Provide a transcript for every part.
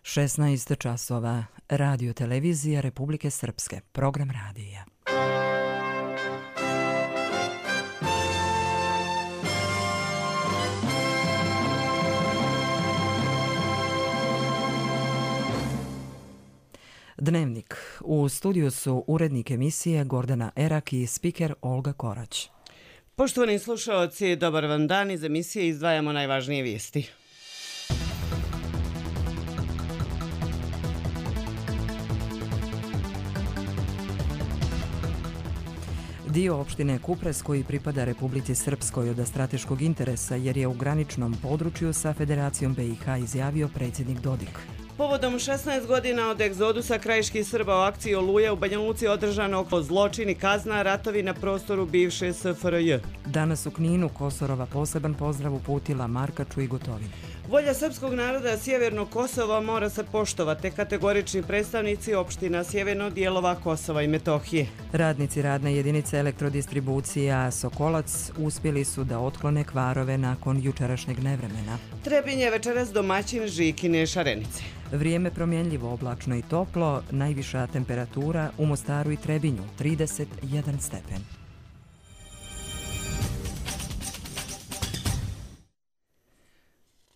16 časova. Radio televizija Republike Srpske. Program radija. Dnevnik. U studiju su urednik emisije Gordana Erak i spiker Olga Korać. Poštovani slušaoci, dobar vam dan. Iz emisije izdvajamo najvažnije vijesti. Dio opštine Kupres koji pripada Republici Srpskoj od strateškog interesa jer je u graničnom području sa Federacijom BiH izjavio predsjednik Dodik. Povodom 16 godina od egzodusa krajiških Srba u akciji Oluja u Banja Luci održano oko zločin i kazna ratovi na prostoru bivše SFRJ. Danas u Kninu Kosorova poseban pozdrav uputila Markaču i Gotovini. Volja srpskog naroda Sjevernog Kosova mora se poštovati, kategorični predstavnici opština sjeverno dijelova Kosova i Metohije. Radnici radne jedinice elektrodistribucija Sokolac uspjeli su da otklone kvarove nakon jučerašnjeg nevremena. Trebinj je večeras domaćin Žikine Šarenice. Vrijeme promjenljivo, oblačno i toplo, najviša temperatura u Mostaru i Trebinju 31 stepen.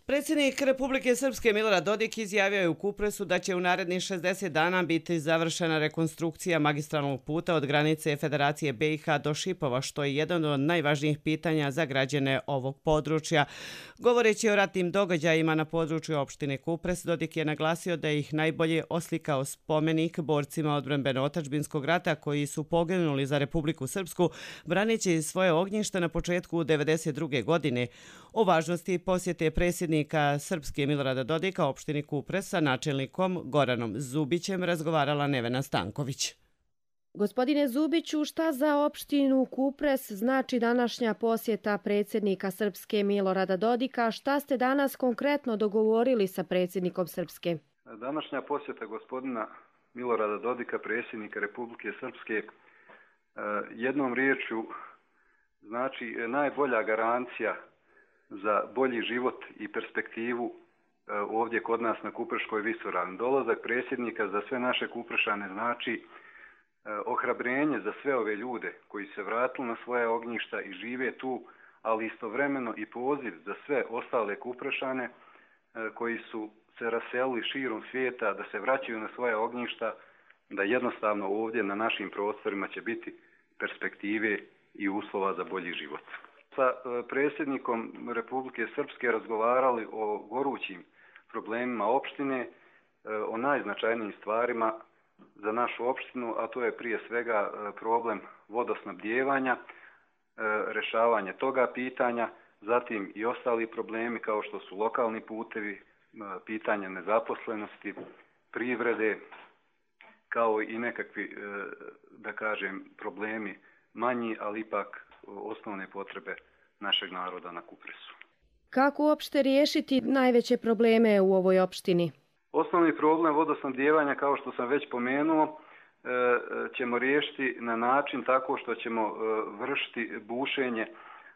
Predsjednik Republike Srpske Milorad Dodik izjavio je u Kupresu da će u narednih 60 dana biti završena rekonstrukcija magistralnog puta od granice Federacije BiH do Šipova, što je jedan od najvažnijih pitanja za građane ovog područja. Govoreći o ratnim događajima na području opštine Kupres, Dodik je naglasio da ih najbolje oslikao spomenik borcima odbrambeno-otadžbinskog rata koji su poginuli za Republiku Srpsku, braneći svoje ognjišta na početku 1992. godine. O važnosti posjete predsjednika Srpske Milorada Dodika opštini Kupres sa načelnikom Goranom Zubićem razgovarala Nevena Stanković. Gospodine Zubiću, šta za opštinu Kupres znači današnja posjeta predsjednika Srpske Milorada Dodika? Šta ste danas konkretno dogovorili sa predsjednikom Srpske? Današnja posjeta gospodina Milorada Dodika, predsjednika Republike Srpske, jednom riječju znači najbolja garancija za bolji život i perspektivu ovdje kod nas na Kupreškoj visoravni. Dolazak predsjednika za sve naše Kuprešane znači ohrabrenje za sve ove ljude koji se vratili na svoje ognjišta i žive tu, ali istovremeno i poziv za sve ostale Kuprešane koji su se raselili širom svijeta da se vraćaju na svoje ognjišta, da jednostavno ovdje na našim prostorima će biti perspektive i uslova za bolji život. Sa predsjednikom Republike Srpske razgovarali o gorućim problemima opštine, o najznačajnijim stvarima za našu opštinu, a to je prije svega problem vodosnabdijevanja, rješavanje toga pitanja, zatim i ostali problemi kao što su lokalni putevi, pitanje nezaposlenosti, privrede, kao i nekakvi, da kažem, problemi manji, ali ipak osnovne potrebe našeg naroda na Kupresu. Kako uopšte riješiti najveće probleme u ovoj opštini? Osnovni problem vodosnabdijevanja, kao što sam već pomenuo, ćemo riješiti na način tako što ćemo vršiti bušenje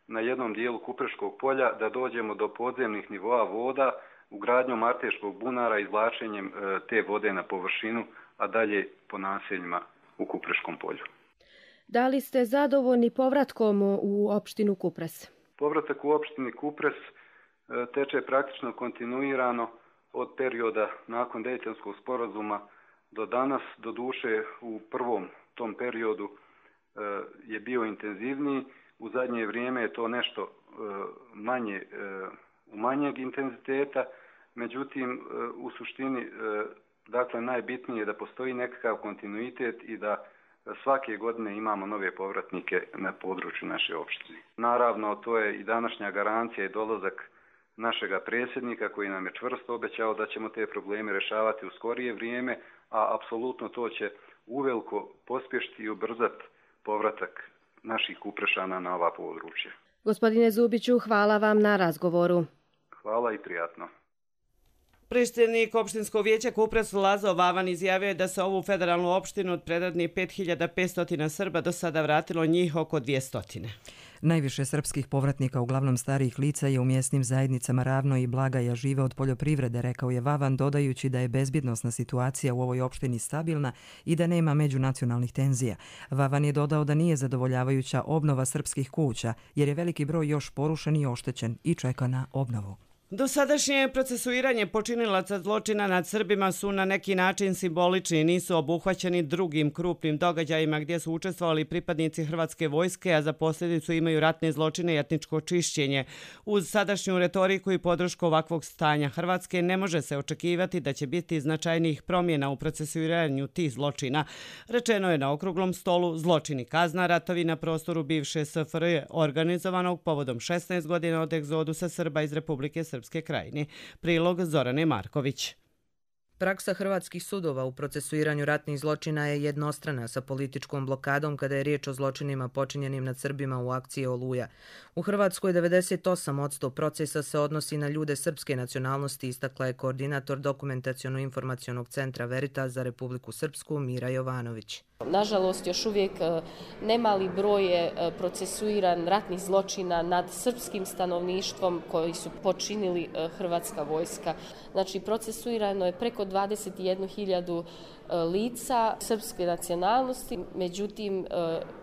na jednom dijelu Kupreškog polja da dođemo do podzemnih nivoa voda ugradnjom Arteškog bunara, izvlačenjem te vode na površinu, a dalje po naseljima u Kupreškom polju. Da li ste zadovoljni povratkom u opštinu Kupres? Povratak u opštini Kupres teče praktično kontinuirano od perioda nakon Dejtonskog sporazuma do danas. Doduše u prvom tom periodu je bio intenzivniji. U zadnje vrijeme je to nešto manjeg intenziteta. Međutim, u suštini dakle, najbitnije je da postoji nekakav kontinuitet i da svake godine imamo nove povratnike na području naše opštine. Naravno, to je i današnja garancija i dolazak našega predsjednika koji nam je čvrsto obećao da ćemo te probleme rješavati u skorije vrijeme, a apsolutno to će uveliko pospješiti i ubrzati povratak naših Kuprešana na ova područja. Gospodine Zubiću, hvala vam na razgovoru. Hvala i prijatno. Predsjednik opštinskog vijeća Kupres Lazo Vavan izjavio je da se ovu federalnu opštinu od predradnih 5500 Srba do sada vratilo njih oko 200. Najviše srpskih povratnika, uglavnom starijih lica, je u mjesnim zajednicama Ravno i Blagaja, žive od poljoprivrede, rekao je Vavan, dodajući da je bezbjednosna situacija u ovoj opštini stabilna i da nema međunacionalnih tenzija. Vavan je dodao da nije zadovoljavajuća obnova srpskih kuća, jer je veliki broj još porušen i oštećen i čeka na obnovu. Dosadašnje procesuiranje počinilaca zločina nad Srbima su na neki način simbolični i nisu obuhvaćeni drugim krupnim događajima gdje su učestvovali pripadnici Hrvatske vojske, a za posljedicu imaju ratne zločine i etničko čišćenje. Uz sadašnju retoriku i podršku ovakvog stanja Hrvatske ne može se očekivati da će biti značajnijih promjena u procesuiranju tih zločina. Rečeno je na okruglom stolu Zločini kazna, ratovi na prostoru bivše SFRJ, organizovanog povodom 16 godina od egzodusa Srba iz Republike Srpske Krajine. Prilog Zorane Marković. Praksa hrvatskih sudova u procesuiranju ratnih zločina je jednostrana sa političkom blokadom kada je riječ o zločinima počinjenim nad Srbima u akciji Oluja. U Hrvatskoj 98% procesa se odnosi na ljude srpske nacionalnosti, istakla je koordinator Dokumentaciono-informacionog centra Veritas za Republiku Srpsku Mira Jovanović. Nažalost, još uvijek nemali broj je procesuiran ratnih zločina nad srpskim stanovništvom koji su počinili Hrvatska vojska. Znači, procesuirano je preko 21.000 lica srpske nacionalnosti. Međutim,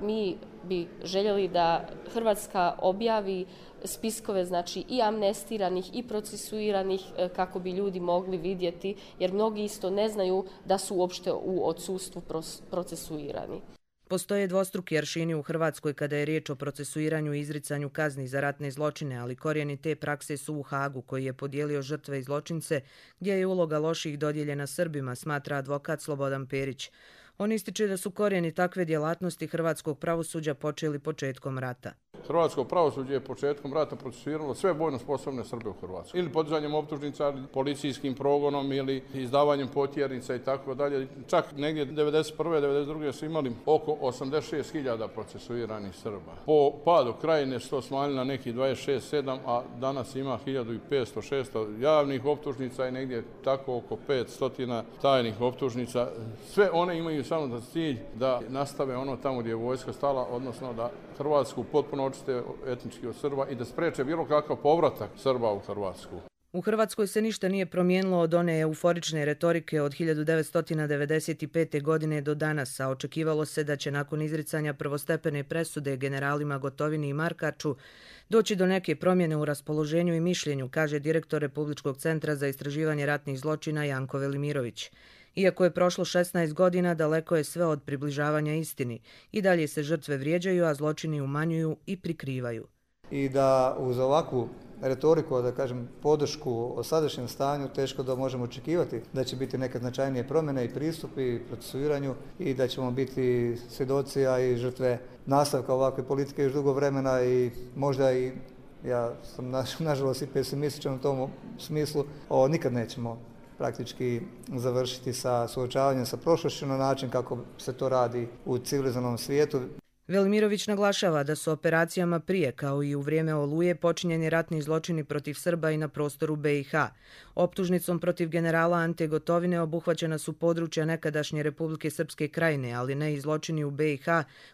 mi bi željeli da Hrvatska objavi spiskove, znači i amnestiranih i procesuiranih, kako bi ljudi mogli vidjeti, jer mnogi isto ne znaju da su uopšte u odsustvu procesuirani. Postoje dvostruki aršini u Hrvatskoj kada je riječ o procesuiranju i izricanju kazni za ratne zločine, ali korijeni te prakse su u Hagu, koji je podijelio žrtve i zločince, gdje je uloga loših dodijeljena Srbima, smatra advokat Slobodan Perić. On ističe da su korijeni takve djelatnosti hrvatskog pravosuđa počeli početkom rata. Hrvatsko pravosuđe je početkom rata procesuiralo sve vojno sposobne Srbe u Hrvatskoj. Ili podizanjem optužnica, policijskim progonom ili izdavanjem potjernica i tako dalje. Čak negdje 1991. 1992. su imali oko 86.000 procesuiranih Srba. Po padu Krajine su to smanjili na nekih 26-7, a danas ima 1500-600 javnih optužnica i negdje tako oko 500 tajnih optužnica. Sve one imaju samo za cilj da nastave ono tamo gdje je vojska stala, odnosno da Hrvatsku potpuno očiste etnički od Srba i da spreče bilo kakav povratak Srba u Hrvatsku. U Hrvatskoj se ništa nije promijenilo od one euforične retorike od 1995. godine do danas, a očekivalo se da će nakon izricanja prvostepene presude generalima Gotovini i Markaču doći do neke promjene u raspoloženju i mišljenju, kaže direktor Republičkog centra za istraživanje ratnih zločina Janko Velimirović. Iako je prošlo 16 godina, daleko je sve od približavanja istini. I dalje se žrtve vrijeđaju, a zločini umanjuju i prikrivaju. I da uz ovakvu retoriku, da kažem, podršku o sadašnjem stanju, teško da možemo očekivati da će biti neke značajnije promjene i pristupi i procesuiranju i da ćemo biti svjedoci, a i žrtve nastavka ovakve politike još dugo vremena i možda i, ja sam nažalost i pesimističan u tom smislu, nikad nećemo praktički završiti sa suočavanjem sa prošlošću na način kako se to radi u civilizovanom svijetu. Velimirović naglašava da su operacijama prije, kao i u vrijeme Oluje, počinjeni ratni zločini protiv Srba i na prostoru BiH. Optužnicom protiv generala Ante Gotovine obuhvaćena su područja nekadašnje Republike Srpske Krajine, ali ne i zločini u BiH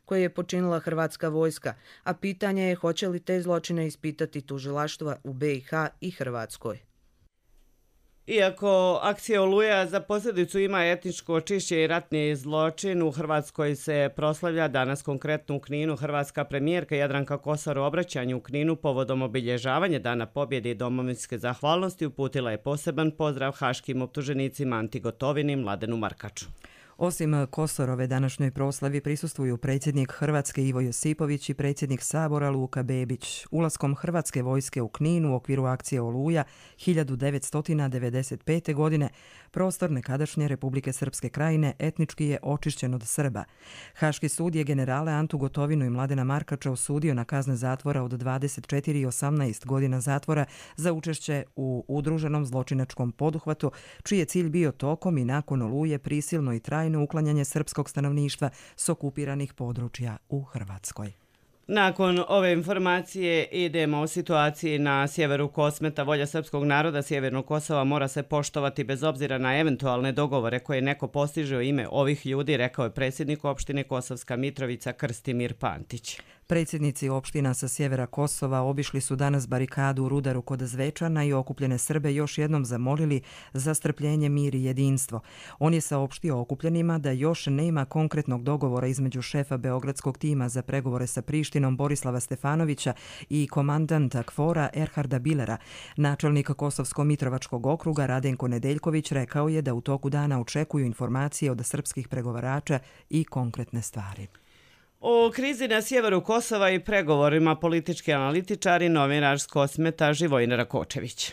koje je počinila Hrvatska vojska, a pitanje je hoće li te zločine ispitati tužilaštva u BiH i Hrvatskoj. Iako akcija Oluja za posljedicu ima etničko čišćenje i ratni zločin, u Hrvatskoj se proslavlja danas konkretno u Kninu. Hrvatska premijerka Jadranka Kosor u obraćanju u Kninu povodom obilježavanja Dana pobjede i domovinske zahvalnosti uputila je poseban pozdrav haškim optuženicima Anti Gotovini i Mladenu Markaču. Osim Kosorove današnjoj proslavi prisustvuju predsjednik Hrvatske Ivo Josipović i predsjednik Sabora Luka Bebić. Ulaskom Hrvatske vojske u Knin u okviru akcije Oluja 1995. godine prostor nekadašnje Republike Srpske Krajine etnički je očišćen od Srba. Haški sud je generale Antu Gotovinu i Mladena Markača osudio na kazne zatvora od 24 i 18 godina zatvora za učešće u udruženom zločinačkom poduhvatu, čiji je cilj bio tokom i nakon Oluje prisilno i trajno uklanjanje srpskog stanovništva s okupiranih područja u Hrvatskoj. Nakon ove informacije idemo o situaciji na sjeveru Kosmeta. Volja srpskog naroda Sjevernog Kosova mora se poštovati bez obzira na eventualne dogovore koje neko postiže u ime ovih ljudi, rekao je predsjednik opštine Kosovska Mitrovica Krstimir Pantić. Predsjednici opština sa sjevera Kosova obišli su danas barikadu u Rudaru kod Zvečana i okupljene Srbe još jednom zamolili za strpljenje, mir i jedinstvo. On je saopštio okupljenima da još nema konkretnog dogovora između šefa beogradskog tima za pregovore sa Prištinom Borislava Stefanovića i komandanta KFOR-a Erharda Billera. Načelnik Kosovsko-Mitrovačkog okruga Radenko Nedeljković rekao je da u toku dana očekuju informacije od srpskih pregovarača i konkretne stvari. O krizi na sjeveru Kosova i pregovorima politički analitičari novinar s Kosmeta Živojin Rakočević.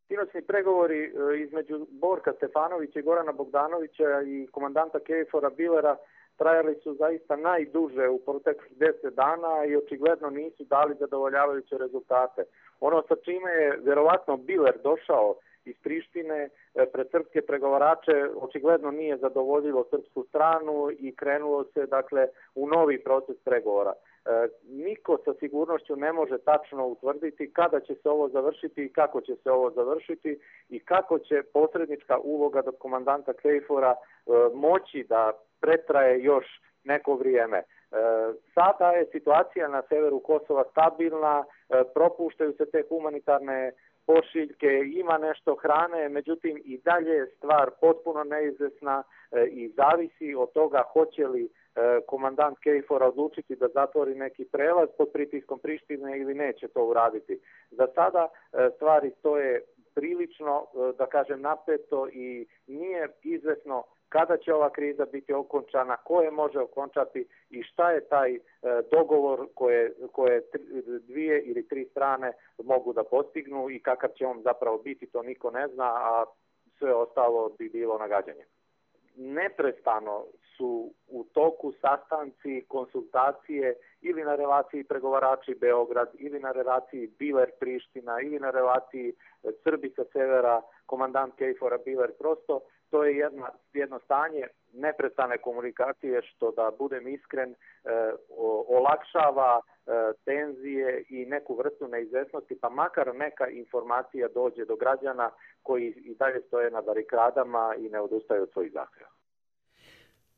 Sinoćni pregovori između Borka Stefanovića i Gorana Bogdanovića i komandanta KFOR-a Billera trajali su zaista najduže u proteklih 10 dana i očigledno nisu dali zadovoljavajuće rezultate. Ono sa čime je vjerovatno Biller došao iz Prištine pred srpske pregovarače očigledno nije zadovoljilo srpsku stranu i krenulo se dakle u novi proces pregovora. Niko sa sigurnošću ne može tačno utvrditi kada će se ovo završiti i kako će se ovo završiti i kako će posrednička uloga do komandanta KFOR-a moći da pretraje još neko vrijeme. Sada je situacija na severu Kosova stabilna, propuštaju se te humanitarne pošiljke, ima nešto hrane, međutim i dalje je stvar potpuno neizvesna i zavisi od toga hoće li komandant KFOR-a odlučiti da zatvori neki prelaz pod pritiskom Prištine ili neće to uraditi. Za sada stvari stoje prilično, da kažem, napeto i nije izvesno kada će ova kriza biti okončana, ko je može okončati i šta je taj dogovor koje dvije ili tri strane mogu da postignu i kakav će on zapravo biti, to niko ne zna, a sve ostalo bi bilo nagađanje. Neprestano su u toku sastanci, konsultacije ili na relaciji pregovarači Beograd, ili na relaciji Biller-Priština, ili na relaciji Srbi sa severa, komandant KFOR-a Biller. Prosto to je jedno stanje neprestane komunikacije što, da budem iskren, olakšava tenzije i neku vrstu neizvesnosti, pa makar neka informacija dođe do građana koji i dalje stoje na barikadama i ne odustaju od svojih zahtjeva.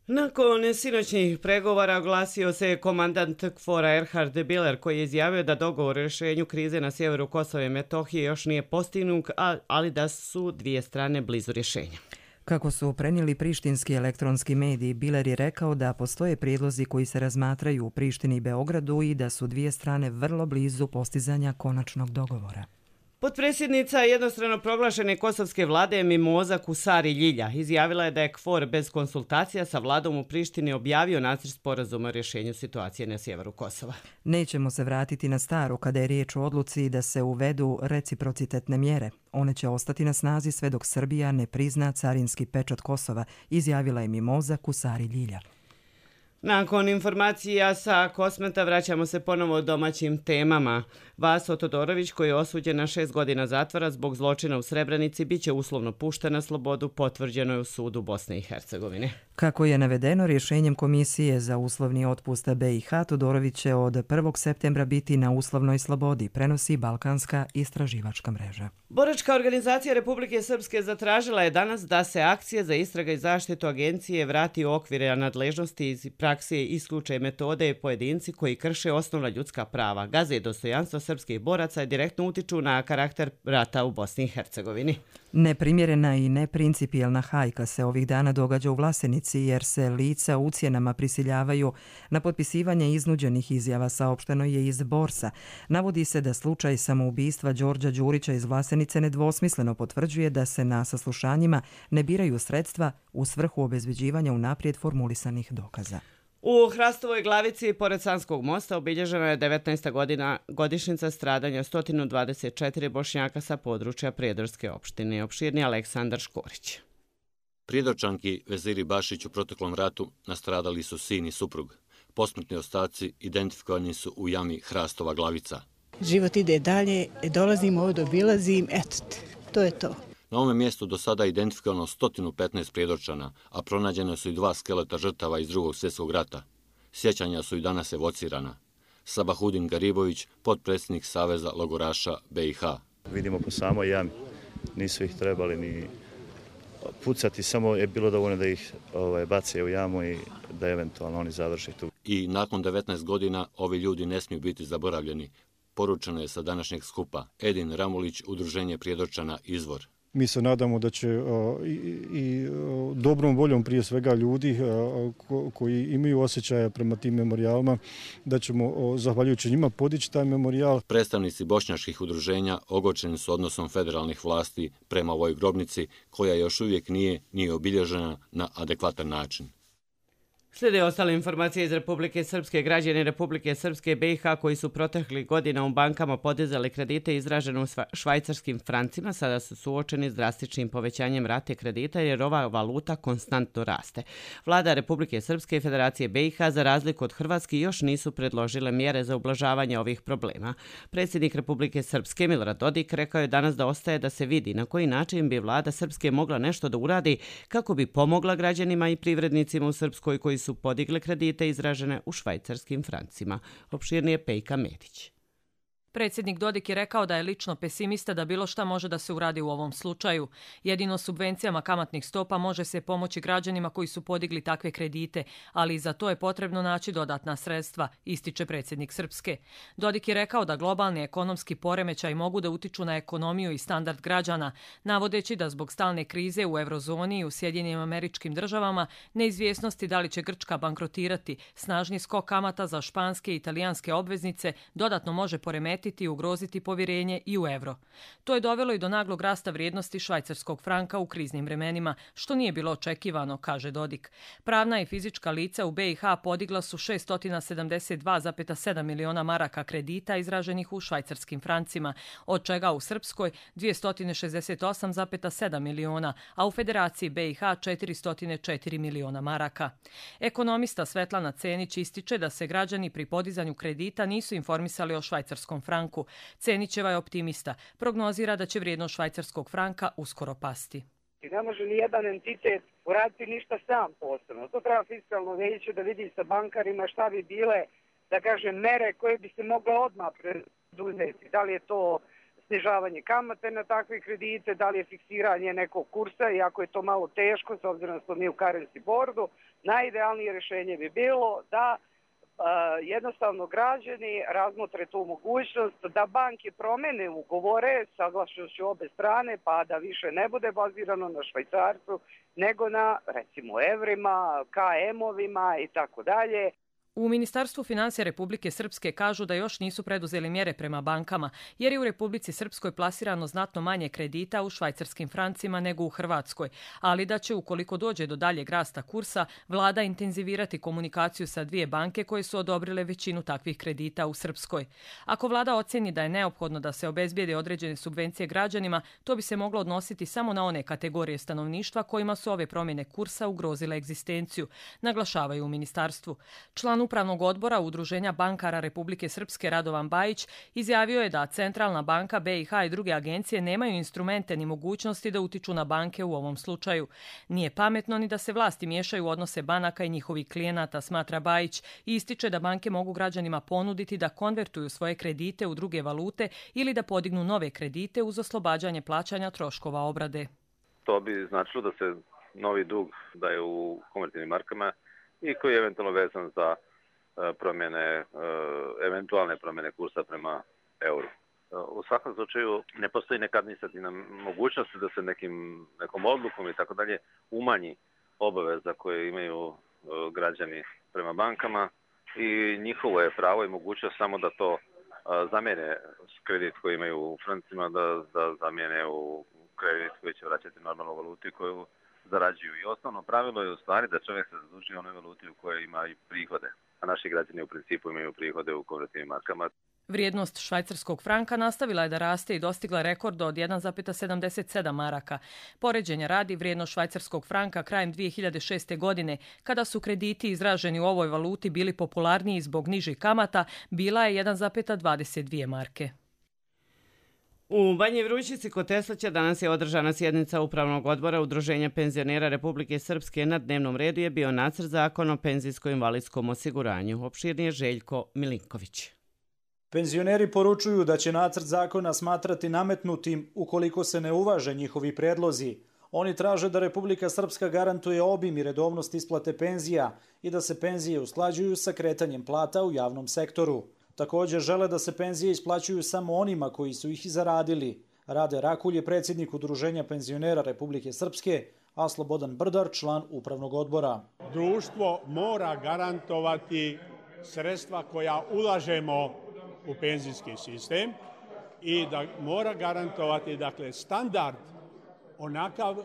Nakon sinoćnih pregovora oglasio se komandant KFOR-a Erhard Biller koji je izjavio da dogovor o rješenju krize na sjeveru Kosova i Metohije još nije postignut, ali da su dvije strane blizu rješenja. Kako su prenijeli prištinski elektronski mediji, Biller je rekao da postoje prijedlozi koji se razmatraju u Prištini i Beogradu i da su dvije strane vrlo blizu postizanja konačnog dogovora. Potpredsjednica jednostrano proglašene kosovske vlade Mimoza Kusari Ljilja izjavila je da je KFOR bez konsultacija sa vladom u Prištini objavio nacrt sporazuma o rješenju situacije na sjeveru Kosova. Nećemo se vratiti na staro kada je riječ o odluci da se uvedu reciprocitetne mjere. One će ostati na snazi sve dok Srbija ne prizna carinski pečat Kosova, izjavila je Mimoza Kusari Ljilja. Nakon informacija sa Kosmeta vraćamo se ponovo domaćim temama. Vaso Todorović, koji je osuđen na 6 godina zatvora zbog zločina u Srebrenici, bit će uslovno pušten na slobodu, potvrđeno je u sudu Bosne i Hercegovine. Kako je navedeno rješenjem Komisije za uslovni otpust BiH, Todorović će od 1. septembra biti na uslovnoj slobodi, prenosi Balkanska istraživačka mreža. Boračka organizacija Republike Srpske zatražila je danas da se akcije za istraga i zaštitu agencije vrati u okvire nadležnosti iz prakse isključe metode i pojedinci koji krše osnovna ljudska prava, gaze dostojanstvo srpskih boraca i direktno utiču na karakter rata u Bosni i Hercegovini. Neprimjerena i neprincipijelna hajka se ovih dana događa u Vlasenici jer se lica ucjenama prisiljavaju na potpisivanje iznuđenih izjava, saopšteno je iz Borsa. Navodi se da slučaj samoubistva Đorđa Đurića iz Vlasenice nedvosmisleno potvrđuje da se na saslušanjima ne biraju sredstva u svrhu obezbeđivanja unaprijed formulisanih dokaza. U Hrastovoj Glavici, pored Sanskog mosta, obilježena je 19. godišnjica stradanja 124 Bošnjaka sa područja Prijedorske opštine. Opširni Aleksandar Škorić. Prijedorčanki Veziri Bašić u proteklom ratu nastradali su sin i suprug. Posmrtni ostaci identifikovani su u jami Hrastova Glavica. Život ide dalje, dolazim ovdje, obilazim, eto, to je to. Na ovome mjestu do sada identifikovano 115 Prijedorčana, a pronađene su i 2 skeleta žrtava iz Drugog svjetskog rata. Sjećanja su i danas evocirana. Sabahudin Garibović, potpredsjednik Saveza logoraša BiH. Vidimo po samoj jami, nisu ih trebali ni pucati, samo je bilo dovoljno da ih bace u jamu i da eventualno oni završi tu. I nakon 19 godina ovi ljudi ne smiju biti zaboravljeni, poručeno je sa današnjeg skupa. Edin Ramulić, Udruženje Prijedorčana, Izvor. Mi se nadamo da će i dobrom voljom prije svega ljudi koji imaju osjećaja prema tim memorijalima, da ćemo zahvaljujući njima podići taj memorijal. Predstavnici bošnjačkih udruženja ogorčeni su odnosom federalnih vlasti prema ovoj grobnici, koja još uvijek nije obilježena na adekvatan način. Slijede ostale informacije iz Republike Srpske. Građani Republike Srpske BiH koji su proteklih godina u bankama podizali kredite izražene u švajcarskim francima sada su suočeni s drastičnim povećanjem rate kredita jer ova valuta konstantno raste. Vlada Republike Srpske i Federacije BiH za razliku od Hrvatske još nisu predložile mjere za ublažavanje ovih problema. Predsjednik Republike Srpske Milorad Dodik rekao je danas da ostaje da se vidi na koji način bi vlada Srpske mogla nešto da uradi kako bi pomogla građanima i privrednicima u Srpskoj koji su podigli kredite izražene u švajcarskim francima. Opširnije Pejka Medić. Predsjednik Dodik je rekao da je lično pesimista da bilo šta može da se uradi u ovom slučaju. Jedino subvencijama kamatnih stopa može se pomoći građanima koji su podigli takve kredite, ali i za to je potrebno naći dodatna sredstva, ističe predsjednik Srpske. Dodik je rekao da globalni ekonomski poremećaj mogu da utiču na ekonomiju i standard građana, navodeći da zbog stalne krize u eurozoni i u Sjedinjenim Američkim Državama, neizvjesnosti da li će Grčka bankrotirati, snažni skok kamata za španske i italijanske obveznice dodatno može poremetiti i ugroziti povjerenje i u euro. To je dovelo i do naglog rasta vrijednosti švajcarskog franka u kriznim vremenima, što nije bilo očekivano, kaže Dodik. Pravna i fizička lica u BiH podigla su 672,7 miliona maraka kredita izraženih u švajcarskim francima, od čega u Srpskoj 268,7 miliona, a u Federaciji BiH 404 miliona maraka. Ekonomista Svetlana Cenić ističe da se građani pri podizanju kredita nisu informisali o švajcarskom franku. Cenićeva je optimista. Prognozira da će vrijednost švajcarskog franka uskoro pasti. Ne može ni jedan entitet uraditi ništa sam posebno. To treba fiskalno vijeće da vidi sa bankarima šta bi bile, da kažem, mere koje bi se mogle odmah preduzeti. Da li je to snižavanje kamate na takve kredite, da li je fiksiranje nekog kursa, iako je to malo teško, s obzirom da smo mi u currency boardu, najidealnije rješenje bi bilo da jednostavno građani razmotre tu mogućnost da banke promene ugovore saglašenošću obe strane pa da više ne bude bazirano na švajcarcu nego na recimo evrima, KM-ovima i tako dalje. U Ministarstvu financija Republike Srpske kažu da još nisu preduzeli mjere prema bankama, jer je u Republici Srpskoj plasirano znatno manje kredita u švajcarskim francima nego u Hrvatskoj, ali da će, ukoliko dođe do daljeg rasta kursa, vlada intenzivirati komunikaciju sa dvije banke koje su odobrile većinu takvih kredita u Srpskoj. Ako vlada ocjeni da je neophodno da se obezbijede određene subvencije građanima, to bi se moglo odnositi samo na one kategorije stanovništva kojima su ove promjene kursa ugrozile egzistenciju, naglašavaju u ministarstvu. Član Upravnog odbora Udruženja bankara Republike Srpske Radovan Bajić izjavio je da Centralna banka BiH i druge agencije nemaju instrumente ni mogućnosti da utiču na banke u ovom slučaju. Nije pametno ni da se vlasti miješaju u odnose banaka i njihovih klijenata, smatra Bajić, i ističe da banke mogu građanima ponuditi da konvertuju svoje kredite u druge valute ili da podignu nove kredite uz oslobađanje plaćanja troškova obrade. To bi značilo da se novi dug daje u konvertivnim markama i koji je eventualno vezan za promjene, eventualne promjene kursa prema euru. U svakom slučaju ne postoji neka administrativna mogućnost da se nekom odlukom i tako dalje umanji obaveza koje imaju građani prema bankama i njihovo je pravo i mogućnost samo da to zamijene kredit koji imaju u francima, da zamijene u kredit koji će vraćati normalnu valutu koju zarađuju. I osnovno pravilo je u stvari da čovjek se zaduži u onoj valuti u kojoj ima i prihode, a naši građani u principu imaju prihode u konvertivnim markama. Vrijednost švajcarskog franka nastavila je da raste i dostigla rekord od 1,77 maraka. Poređenja radi, vrijednost švajcarskog franka krajem 2006. godine, kada su krediti izraženi u ovoj valuti bili popularniji zbog nižih kamata, bila je 1,22 marke. U Banji Vrućici kod Teslaća danas je održana sjednica Upravnog odbora Udruženja penzionera Republike Srpske. Na dnevnom redu je bio nacrt zakona o penzijsko-invalidskom osiguranju. Opširnije Željko Milinković. Penzioneri poručuju da će nacrt zakona smatrati nametnutim ukoliko se ne uvaže njihovi predlozi. Oni traže da Republika Srpska garantuje obim i redovnost isplate penzija i da se penzije usklađuju sa kretanjem plata u javnom sektoru. Također žele da se penzije isplaćuju samo onima koji su ih i zaradili. Rade Rakulj je predsjednik Udruženja penzionera Republike Srpske, a Slobodan Brdar član upravnog odbora. Društvo mora garantovati sredstva koja ulažemo u penzijski sistem i da mora garantovati standard onakav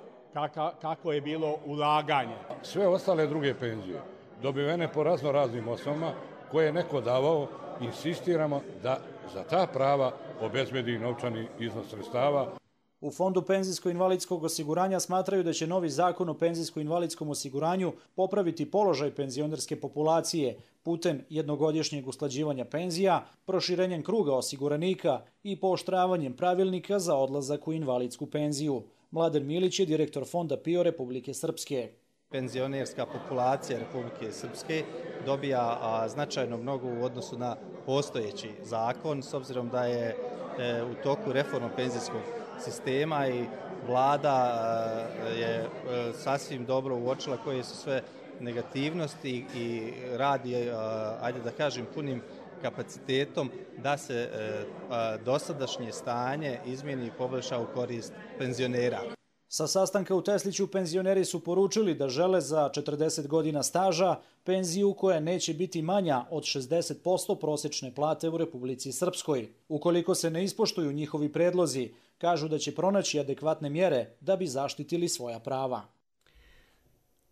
kako je bilo ulaganje. Sve ostale druge penzije dobivene po raznim osnovama koje je neko davao, insistiramo da za ta prava obezbedi novčani iznos sredstava. U Fondu penzijsko-invalidskog osiguranja smatraju da će novi zakon o penzijsko-invalidskom osiguranju popraviti položaj penzionerske populacije putem jednogodišnjeg usklađivanja penzija, proširenjem kruga osiguranika i pooštravanjem pravilnika za odlazak u invalidsku penziju. Mladen Milić je direktor Fonda PIO Republike Srpske. Penzionerska populacija Republike Srpske dobija značajno mnogo u odnosu na postojeći zakon, s obzirom da je u toku reforma penzijskog sistema i vlada je sasvim dobro uočila koje su sve negativnosti i radi, ajde da kažem, punim kapacitetom da se dosadašnje stanje izmijeni i poboljša u korist penzionera. Sa sastanka u Tesliću penzioneri su poručili da žele za 40 godina staža penziju koja neće biti manja od 60% prosječne plate u Republici Srpskoj. Ukoliko se ne ispoštuju njihovi predlozi, kažu da će pronaći adekvatne mjere da bi zaštitili svoja prava.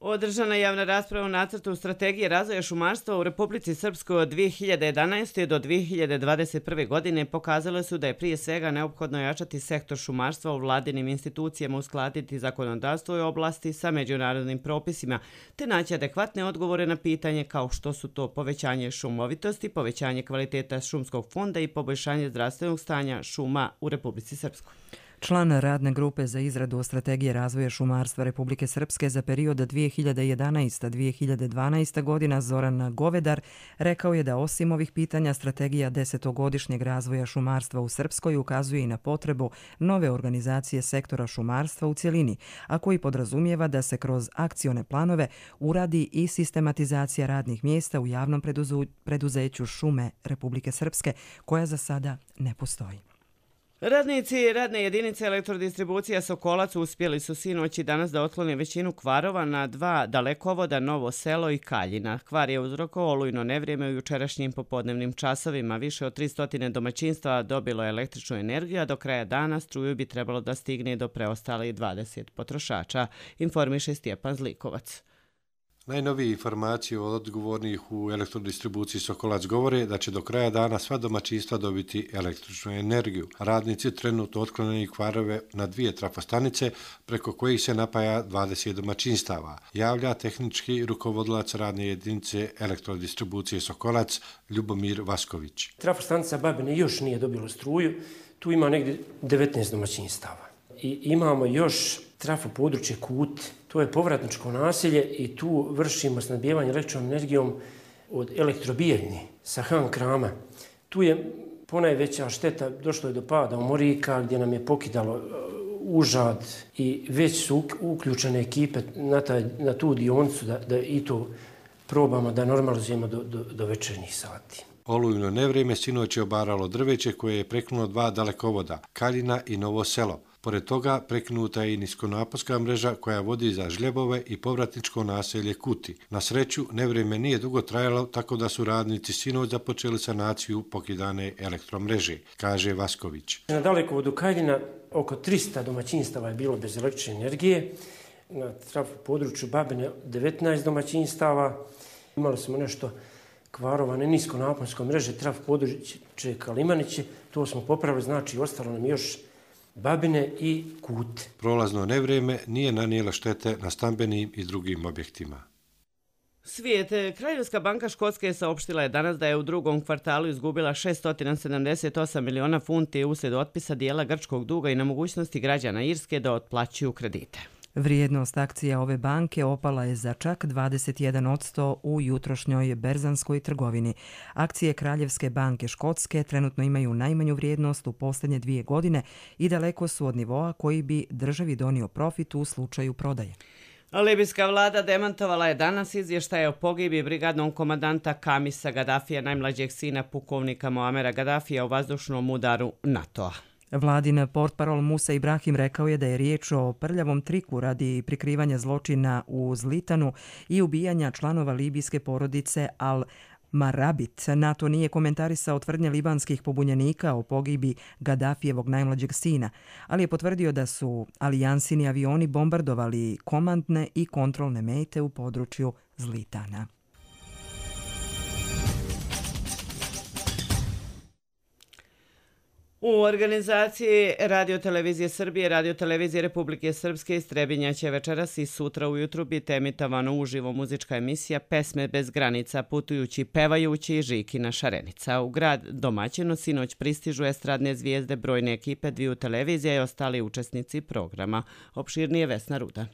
Održana javna rasprava o nacrtu strategije razvoja šumarstva u Republici Srpskoj od 2011. do 2021. godine pokazale su da je prije svega neophodno jačati sektor šumarstva u vladinim institucijama, uskladiti zakonodavstvo u oblasti sa međunarodnim propisima, te naći adekvatne odgovore na pitanje kao što su to povećanje šumovitosti, povećanje kvaliteta šumskog fonda i poboljšanje zdravstvenog stanja šuma u Republici Srpskoj. Član radne grupe za izradu strategije razvoja šumarstva Republike Srpske za period 2011-2012 godina Zoran Govedar rekao je da osim ovih pitanja strategija 10-godišnjeg razvoja šumarstva u Srpskoj ukazuje i na potrebu nove organizacije sektora šumarstva u cjelini, a koji podrazumijeva da se kroz akcione planove uradi i sistematizacija radnih mjesta u javnom preduzeću Šume Republike Srpske, koja za sada ne postoji. Radnici radne jedinice elektrodistribucija Sokolac uspjeli su sinoć i danas da otklone većinu kvarova na 2 dalekovoda Novo Selo i Kaljina. Kvar je uzrokovao olujno nevrijeme u jučerašnjim popodnevnim časovima. Više od 300 domaćinstva dobilo je električnu energiju, a do kraja dana struju bi trebalo da stigne do preostalih 20 potrošača, informiše Stjepan Zlikovac. Najnovije informacije od odgovornih u elektrodistribuciji Sokolac govore da će do kraja dana sva domaćinstva dobiti električnu energiju. Radnici trenutno otklanjaju kvarove na 2 trafostanice preko kojih se napaja 20 domaćinstava, javlja tehnički rukovodilac radne jedinice elektrodistribucije Sokolac Ljubomir Vasković. Trafostanica Babine još nije dobilo struju, tu ima negdje 19 domaćinstava. I imamo još trafo područje Kut, to je povratničko naselje i tu vršimo snabdijevanje električnom energijom od Elektrobijeljni sa Han Krama. Tu je ponajveća šteta, došlo je do pada umorika gdje nam je pokidalo užad i već su uključene ekipe na tu dionicu da i to probamo da normalizujemo do večernjih sati. Olujno nevrijeme sinoć je obaralo drveće koje je prekinulo 2 dalekovoda, Kaljina i Novo Selo. Pored toga prekinuta je i niskonaponska mreža koja vodi za Žljebove i povratničko naselje Kuti. Na sreću, nevrijeme nije dugo trajalo, tako da su radnici sinoć započeli sanaciju pokidane elektromreže, kaže Vasković. Na dalekovodu Kaljina oko 300 domaćinstava je bilo bez električne energije. Na trafo području Babine 19 domaćinstava. Imali smo nešto kvarovane niskonaponske mreže, trafo područje Kalimaniće. To smo popravili, znači ostalo nam još Babine i Kut. Prolazno nevrijeme nije nanijelo štete na stambenim i drugim objektima. Svijet. Kraljevska banka Škotske saopštila je danas da je u drugom kvartalu izgubila 678 miliona funti uslijed otpisa dijela grčkog duga i nemogućnosti građana Irske da otplaćuju kredite. Vrijednost akcija ove banke opala je za čak 21% u jutrošnjoj berzanskoj trgovini. Akcije Kraljevske banke Škotske trenutno imaju najmanju vrijednost u posljednje 2 godine i daleko su od nivoa koji bi državi donio profit u slučaju prodaje. Libijska vlada demantovala je danas izvještaje o pogibi brigadnog komandanta Kamisa Gadafija, najmlađeg sina pukovnika Muamera Gadafija u vazdušnom udaru NATO-a. Vladin portparol Musa Ibrahim rekao je da je riječ o prljavom triku radi prikrivanja zločina u Zlitanu i ubijanja članova libijske porodice Al-Marabit. NATO nije komentarisao tvrdnje libanskih pobunjenika o pogibi Gadafijevog najmlađeg sina, ali je potvrdio da su alijansini avioni bombardovali komandne i kontrolne mete u području Zlitana. U organizaciji Radio-televizije Srbije i Radio-televizije Republike Srpske iz Trebinja će večeras i sutra ujutru biti emitovana uživo muzička emisija Pesme bez granica, putujući, pevajući Žikina Šarenica. U grad domaćinu sinoć pristižu estradne zvijezde brojne ekipe dviju televizija i ostali učesnici programa. Opširnije Vesna Rudan.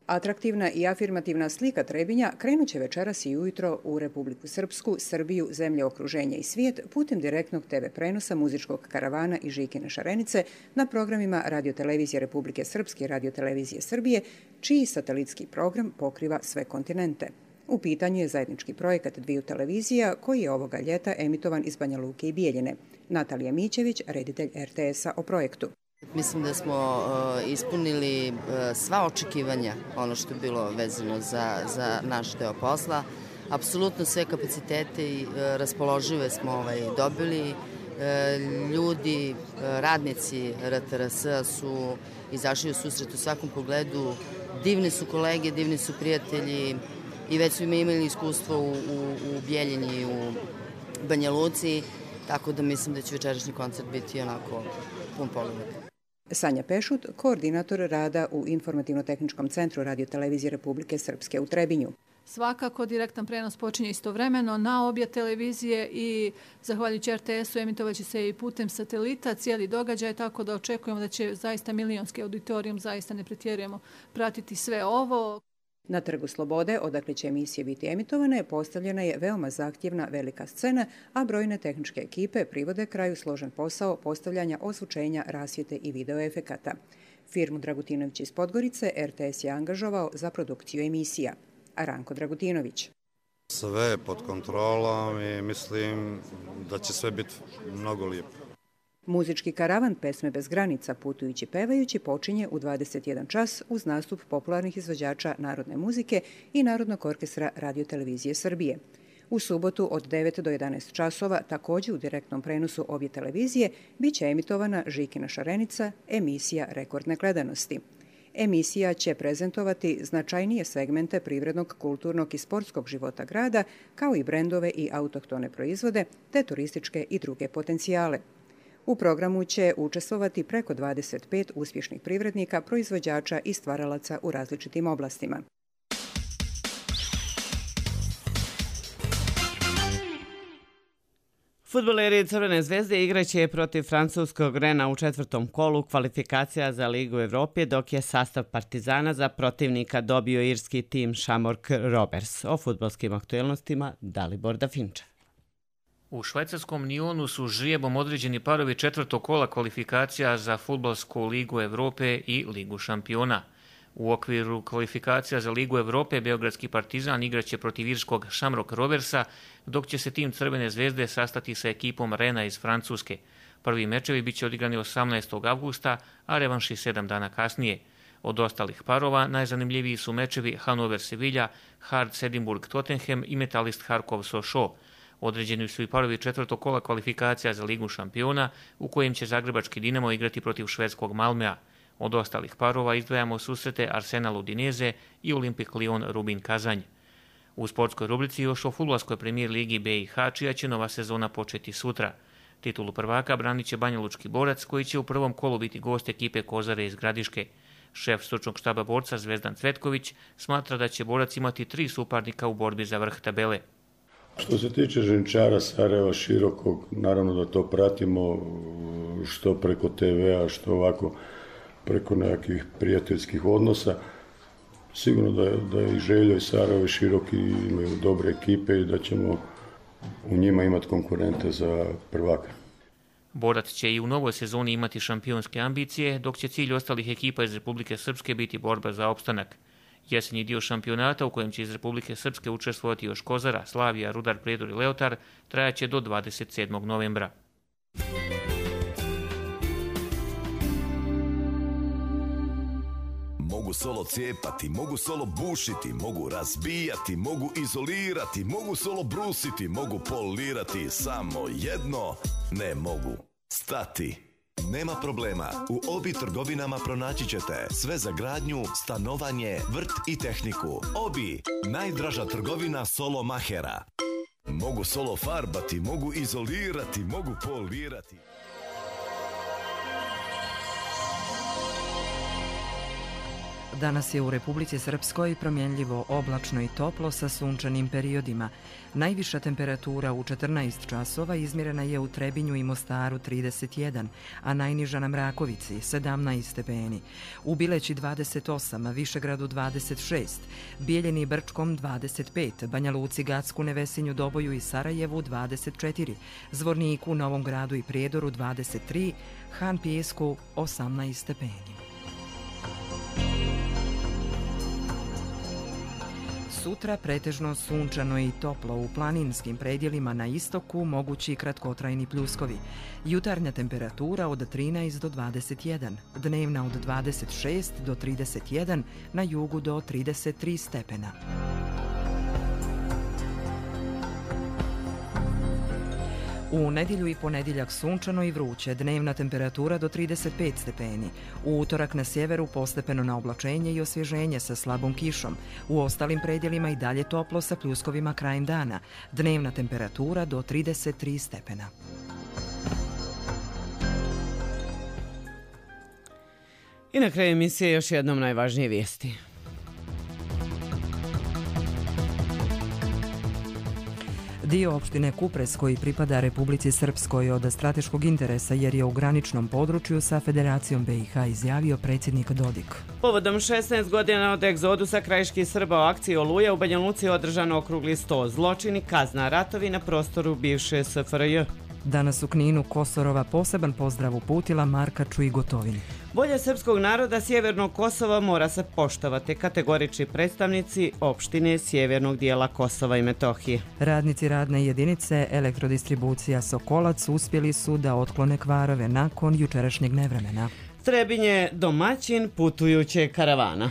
Atraktivna i afirmativna slika Trebinja krenut će večeras i ujutro u Republiku Srpsku, Srbiju, zemlje okruženja i svijet putem direktnog TV prenosa muzičkog karavana i Žikine Šarenice na programima Radio-televizije Republike Srpske i Radio-televizije Srbije, čiji satelitski program pokriva sve kontinente. U pitanju je zajednički projekat dviju televizija koji je ovoga ljeta emitovan iz Banja Luke i Bijeljine. Natalija Mićević, reditelj RTS-a o projektu. Mislim da smo ispunili sva očekivanja, ono što je bilo vezano za naš deo posla. Apsolutno sve kapacitete i raspoložive smo dobili. Ljudi, radnici RTRS-a su izašli u susret u svakom pogledu. Divni su kolege, divni su prijatelji i već su imali iskustvo u Bijeljini i u Banja Luci, tako da mislim da će večerašnji koncert biti onako pun pogodak. Sanja Pešut, koordinator rada u Informativno-tehničkom centru Radio-televizije Republike Srpske u Trebinju. Svakako direktan prenos počinje istovremeno na obje televizije i zahvaljujući RTS-u emitovaće se i putem satelita cijeli događaj, tako da očekujemo da će zaista milionski auditorijum, zaista ne pretjerujemo, pratiti sve ovo. Na Trgu Slobode, odakle će emisije biti emitovane, postavljena je veoma zahtjevna velika scena, a brojne tehničke ekipe privode kraju složen posao postavljanja ozvučenja, rasvjete i videoefekata. Firmu Dragutinović iz Podgorice RTS je angažovao za produkciju emisija. Ranko Dragutinović. Sve je pod kontrolom i mislim da će sve biti mnogo lijepo. Muzički karavan Pesme bez granica, putujući, pevajući počinje u 21 čas uz nastup popularnih izvođača narodne muzike i Narodnog orkestra Radio-televizije Srbije. U subotu od 9 do 11 časova, također u direktnom prenosu obje televizije, bit će emitovana Žikina Šarenica, emisija rekordne gledanosti. Emisija će prezentovati značajnije segmente privrednog, kulturnog i sportskog života grada, kao i brendove i autohtone proizvode, te turističke i druge potencijale. U programu će učestvovati preko 25 uspješnih privrednika, proizvođača i stvaralaca u različitim oblastima. Fudbaleri Crvene zvezde igraće protiv francuskog Rena u 4. kolu kvalifikacija za Ligu Evrope, dok je sastav Partizana za protivnika dobio irski tim Shamrock Rovers. O fudbalskim aktuelnostima Dalibor Dafinčev. U švajcarskom Nionu su žrijebom određeni parovi 4. kola kvalifikacija za Fudbalsku ligu Evrope i Ligu šampiona. U okviru kvalifikacija za Ligu Evrope Beogradski Partizan igraće protiv irskog Shamrock Roversa, dok će se tim Crvene zvezde sastati sa ekipom Rena iz Francuske. Prvi mečevi biće odigrani 18. avgusta, a revanši 7 dana kasnije. Od ostalih parova najzanimljiviji su mečevi Hannover-Sevilla, Hearts-Edinburgh-Tottenham i Metalist Harkov-Sochaux. Određeni su i parovi 4. kola kvalifikacija za Ligu šampiona, u kojem će zagrebački Dinamo igrati protiv švedskog Malmea. Od ostalih parova izdvajamo susrete Arsenal Udineze i Olimpik Lyon Rubin Kazanj. U sportskoj rubrici još o fudbalskoj premijer ligi BiH, čija će nova sezona početi sutra. Titulu prvaka branit će banjalučki Borac, koji će u prvom kolu biti gost ekipe Kozare iz Gradiške. Šef stručnog štaba Borca Zvezdan Cvetković smatra da će Borac imati 3 suparnika u borbi za vrh tabele. Što se tiče Ženčara Sarajeva Širokog, naravno da to pratimo što preko TV-a, što ovako preko nekakvih prijateljskih odnosa. Sigurno da je i Željo i Sarajevo široki, imaju dobre ekipe i da ćemo u njima imati konkurente za prvaka. Borac će i u novoj sezoni imati šampionske ambicije, dok će cilj ostalih ekipa iz Republike Srpske biti borba za opstanak. Jesenji dio šampionata, u kojem će iz Republike Srpske učestvovati još Kozara, Slavija, Rudar, Prijedor i Leotar, trajaće do 27. novembra. Mogu solo cijepati, mogu solo bušiti, mogu razbijati, mogu izolirati, mogu solo brusiti, mogu polirati, samo jedno ne mogu stati. Nema problema, u Obi trgovinama pronaći ćete sve za gradnju, stanovanje, vrt i tehniku. Obi, najdraža trgovina solo mahera. Mogu solo farbati, mogu izolirati, mogu polirati. Danas je u Republici Srpskoj promjenljivo oblačno i toplo sa sunčanim periodima. Najviša temperatura u 14 časova izmjerena je u Trebinju i Mostaru 31, a najniža na Mrakovici 17 stepeni. U Bileći 28, Višegradu 26, Bijeljini i Brčkom 25, Banja Luci, Gacku, Nevesinju, Doboju i Sarajevu 24, Zvorniku, Novom Gradu i Prijedoru 23, Han Pijesku 18 stepeni. Sutra pretežno sunčano i toplo, u planinskim predjelima na istoku mogući kratkotrajni pljuskovi. Jutarnja temperatura od 13 do 21, dnevna od 26 do 31, na jugu do 33 stepena. U nedjelju i ponedjeljak sunčano i vruće, dnevna temperatura do 35 stepeni. U utorak na sjeveru postepeno na oblačenje i osvježenje sa slabom kišom. U ostalim predjelima i dalje toplo sa pljuskovima krajem dana. Dnevna temperatura do 33 stepena. I na kraju emisije još jednom najvažnije vijesti. Dio opštine Kupres koji pripada Republici Srpskoj od strateškog interesa jer je u graničnom području sa Federacijom BiH, izjavio predsjednik Dodik. Povodom 16 godina od egzodusa krajiških Srba o akciji Oluja u Banja Luci održano okrugli sto. Zločini, kazna, ratovi na prostoru bivše SFRJ. Danas u Kninu Kosorova poseban pozdrav uputila Markaču i Gotovini. Volja srpskog naroda Sjevernog Kosova mora se poštovati, kategorični predstavnici opštine sjevernog dijela Kosova i Metohije. Radnici radne jedinice Elektrodistribucija Sokolac uspjeli su da otklone kvarove nakon jučerašnjeg nevremena. Trebinje domaćin putujuće karavana.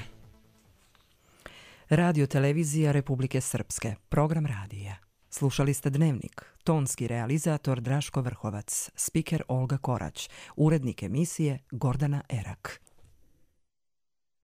Radio televizija Republike Srpske, program radija. Slušali ste Dnevnik, tonski realizator Draško Vrhovac, spiker Olga Korać, urednik emisije Gordana Erak.